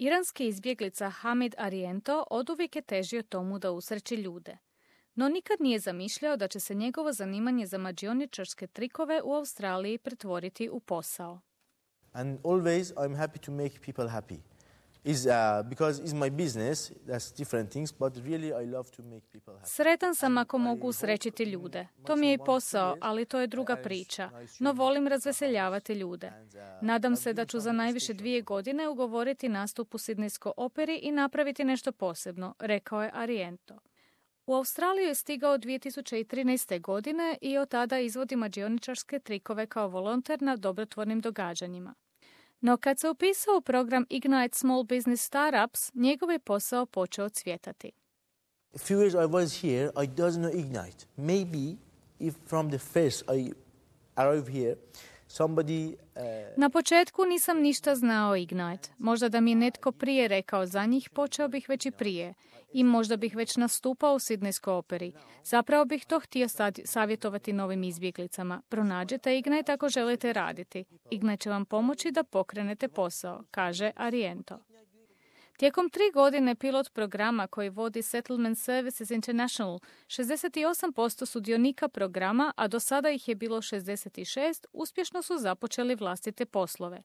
Iranski izbjeglica Hamid Ariento oduvijek je težio tomu da usreći ljude. No nikad nije zamišljao da će se njegovo zanimanje za mađioničarske trikove u Australiji pretvoriti u posao. And always I'm happy to make people happy. Because it's my business, that's different things, but really I love to make people happy. Sretan sam ako mogu usrećiti ljude. To mi je i posao, ali to je druga priča. No volim razveseljavati ljude. Nadam se da ću za najviše 2 godine ugovoriti nastup u Sidnejskoj operi i napraviti nešto posebno, rekao je Ariento. U Australiju je stigao 2013. godine i od tada izvodi mađioničarske trikove kao volonter na dobrotvornim događanjima. No kad se upisao u program Ignite Small Business Startups, njegov je posao počeo cvjetati. A few years I was here, I doesn't know Ignite. Maybe if from the first I arrived here, somebody... Na početku nisam ništa znao o Ignite. Možda da mi je netko prije rekao za njih, počeo bih već i prije. I možda bih već nastupao u Sidnejskoj operi. Zapravo bih to htio savjetovati novim izbjeglicama. Pronađite Ignite ako želite raditi. Ignite će vam pomoći da pokrenete posao, kaže Ariento. Tijekom 3 godine pilot programa koji vodi Settlement Services International, 68% sudionika programa, a do sada ih je bilo 66, uspješno su započeli vlastite poslove.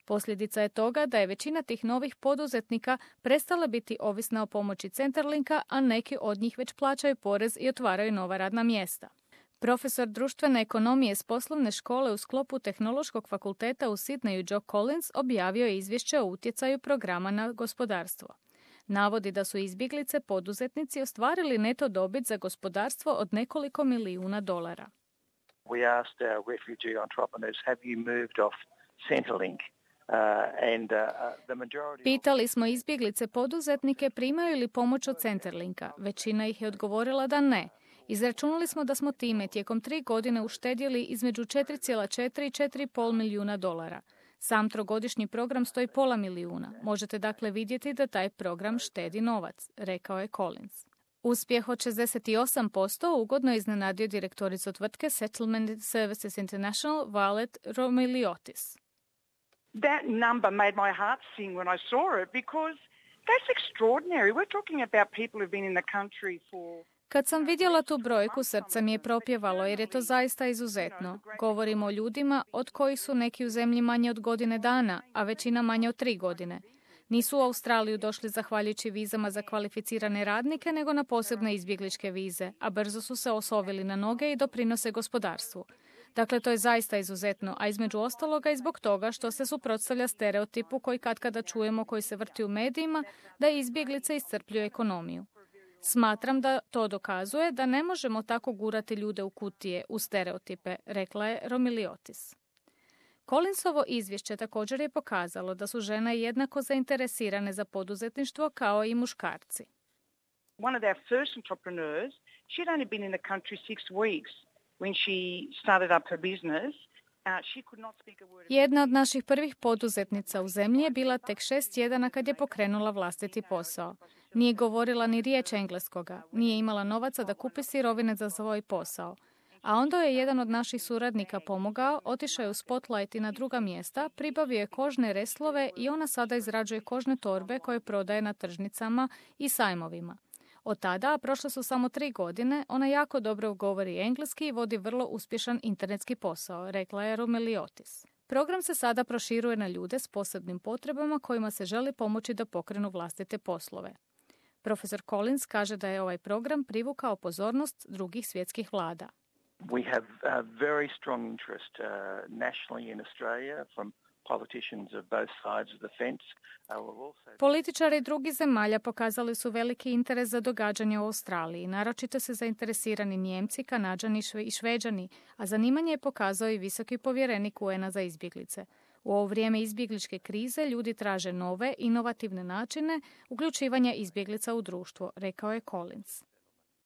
Posljedica je toga da je većina tih novih poduzetnika prestala biti ovisna o pomoći Centerlinka, a neki od njih već plaćaju porez i otvaraju nova radna mjesta. Profesor društvene ekonomije s poslovne škole u sklopu Tehnološkog fakulteta u Sidneju Joe Collins objavio je izvješće o utjecaju programa na gospodarstvo. Navodi da su izbjeglice poduzetnici ostvarili neto dobit za gospodarstvo od nekoliko milijuna dolara. We asked our refugee entrepreneurs, have you moved off Centrelink? Pitali smo izbjeglice poduzetnike primaju li pomoć od Centerlinka. Većina ih je odgovorila da ne. Izračunali smo da smo time tijekom 3 godine uštedjeli između 4,4 i 4,5 milijuna dolara. Sam trogodišnji program stoji $500,000. Možete dakle vidjeti da taj program štedi novac, rekao je Collins. Uspjeh od 68% ugodno je iznenadio direktoricu tvrtke Settlement Services International Valet Romiliotis. That number made my heart sing when I saw it because that's extraordinary. We're talking about people who've been in the country for... Kad sam vidjela tu brojku, srce mi je propjevalo jer je to zaista izuzetno. Govorimo o ljudima od kojih su neki u zemlji manje od godine dana, a većina manje od 3 godine. Nisu u Australiju došli zahvaljujući vizama za kvalificirane radnike, nego na posebne izbjegličke vize, a brzo su se osovili na noge i doprinose gospodarstvu. Dakle, to je zaista izuzetno, a između ostaloga i zbog toga što se suprotstavlja stereotipu koji katkada čujemo koji se vrti u medijima da izbjeglice iscrpljuju ekonomiju. Smatram da to dokazuje da ne možemo tako gurati ljude u kutije, u stereotipe, rekla je Romiliotis. Collinsovo izvješće također je pokazalo da su žene jednako zainteresirane za poduzetništvo kao i muškarci. One of our first entrepreneurs, she'd only been in the country 6 weeks when she started up her business. Jedna od naših prvih poduzetnica u zemlji je bila tek 6 tjedana kad je pokrenula vlastiti posao. Nije govorila ni riječ engleskoga, nije imala novaca da kupi sirovine za svoj posao. A onda je jedan od naših suradnika pomogao, otišao je u Spotlight i na druga mjesta, pribavio je kožne reslove i ona sada izrađuje kožne torbe koje prodaje na tržnicama i sajmovima. Od tada, a prošle su samo 3 godine, ona jako dobro govori engleski i vodi vrlo uspješan internetski posao, rekla je Romiliotis. Program se sada proširuje na ljude s posebnim potrebama kojima se želi pomoći da pokrenu vlastite poslove. Profesor Collins kaže da je ovaj program privukao pozornost drugih svjetskih vlada. We have a very strong interest nationally in Australia from politicians of both sides of the fence. Političari drugih zemalja pokazali su veliki interes za događanje u Australiji. Naročito se zainteresirani Nijemci, Kanađani i Šveđani, a zanimanje je pokazao i visoki povjerenik UN-a za izbjeglice. U ovo vrijeme izbjegličke krize ljudi traže nove, inovativne načine uključivanja izbjeglica u društvo, rekao je Collins.